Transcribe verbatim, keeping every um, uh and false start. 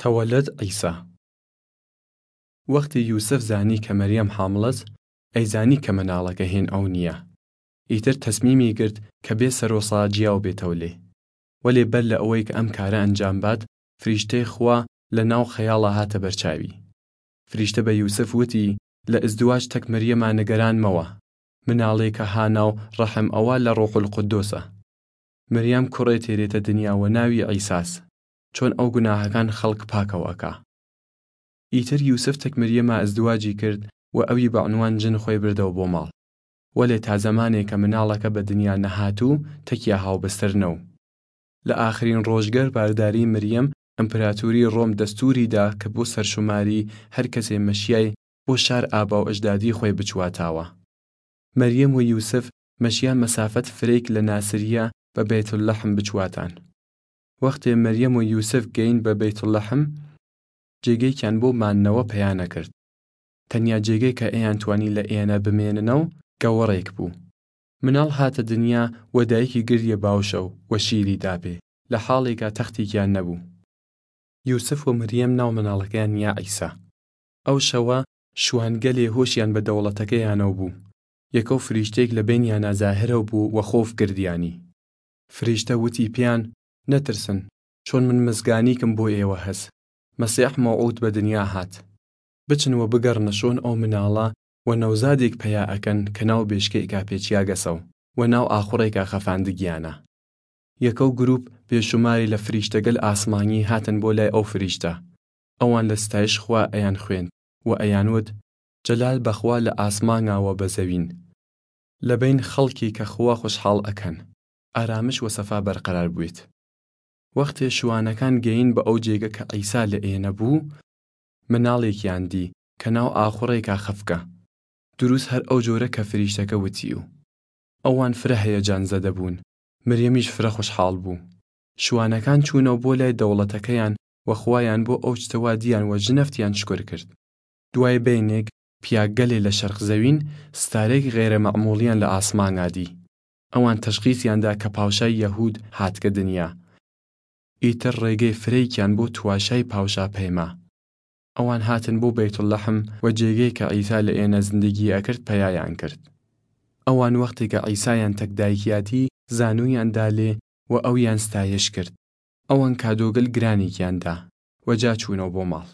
تەوەلەد عیسا. وەختی یوسف زانی کە مریەم حامڵەس، ئەیزانی کە مناڵەگە هین ئەو نییە. ئیتر تەسمیمی گرد کە بێ سەرۆسا جیاو بێتەو لێ. وەلێ بەر لە ئەوەی کە ئەم کارە ئەنجام بات، فریشتەی خوا لە ناو خەیاڵا هاتە بەرچاوی. فریشتە بە یوسف وتی، لە ئزدواج تەک مریەما نگەران مەوە. مناڵێ کە ها ناو ڕەحم ئەوا لە ڕوحولقودۆسە. مریەم کوڕێ تێرێتە دنیا وە ناوی عیساس، چۆن ئەو گوناهەکان خەڵک پاکەو ئەکا. ئیتر یوسف تەک مریەما ئزدواجی کرد و ئەوی بە عنوان جن خوەی بردەو بۆ ماڵ. وەلێ تا زەمانێ کە مناڵەکە بە دنیا نەهاتوو تەکیا هاوبستر نەو. لە ئاخرین ڕۆژگەر بارداری مریەم ئەمپراتوری ڕۆم دەستوری دا کە بۆ سەرشماری هەر کەسێ مەشیای بۆ شار ئاباو ئەجدادی خوەی بچواتاوە. مریەم و یوسف مەشیان مەسافەت فرەیگ لە ناسریە بە بەیتولەحم بچواتان. وەختێ مریەم و یوسف گەین بە بەیتولەحم، جێگەیکیان بۆ ماننەوە پەیا نەکرد. تەنیا جێگەی کە ئێان توانی لە ئێنە بمێننەو گەوەڕێک بوو. مناڵ هاتە دنیا و دایکی گردیە باوشەو و شیری داپێ، لە حاڵێکا تەختیکیان نەبوو. یوسف و مریەم ناو مناڵەکەیان نیا عیسا. ئەو شەوە شوانگەلێ هۆشیان بە دەوڵەتەکەیانەو بوو. یەکەو فریشتەیگ لە بەینیانا زاهرەو بوو و خۆف گردیانی. فریشتە وتی پیان، نەترسن، چۆن من مزگانیکم بۆ ئێوە هەس. مەسیح مەوعود بە دنیا هات. بچن و بگەڕنە شۆن ئەو مناڵە و نەوزادێگ پەیا ئەکەن کە ناو بێشکەیکا پێچیاگەسەو و ناو ئاخوڕێکا خەفاندگیانە. یەکەو گروپ بێشوماری لە فریشتەگەل ئاسمانی هاتن بۆ لای ئەو فریشتە. ئەوان لە ستایش خوا ئەیان خوێند و ئەیان وت، جەلال بە خوا لە ئاسمانگا و بە زەوین. لە بەین خەڵکی کە خوا خوشحاڵ ئەکەن، ئارامش و سەفا بەرقەرار بوێت. وەختێ شوانەکان گەین بە ئەو جێگە کە عیسا لە ئێنە بوو، مناڵێکیان دی کە ناو ئاخوڕێکا خەفکە، دروس هەر ئەو جۆرە کە فریشتەکە وتیو. ئەوان فرە هەیەجان زەدە بوون. مریەمیش فرە خوشحاڵ بوو. شوانەکان چوونەو بۆ لای دەوڵەتەکەیان و خوایان بۆ ئەو چتەوا دیان و ژنەفتیان شکر کرد. دوای بەینێگ پیاگەلێ لە شەرق زەوین ستارەیگ غەیرە مەعموڵیان لە ئاسمانگا دی. ئەوان تەشخیسیان دا کە پاوشای یەهود هاتگە دنیا. ئیتر ڕێگەی فرەیکیان بۆ تواشای پاوشا پەیما. ئەوان هاتن بۆ بەیتولەحم و جێگەی کە عیسا لە ئێنە زندگی ئەکرد پەیایان کرد. ئەوان وەختێ کە عیسایان تەک دایکیاتی زانویان دا لێ و ئەویان ستایش کرد. ئەوان کادۆگەل گرانیکیان دا و جا چوونەو بۆ ماڵ.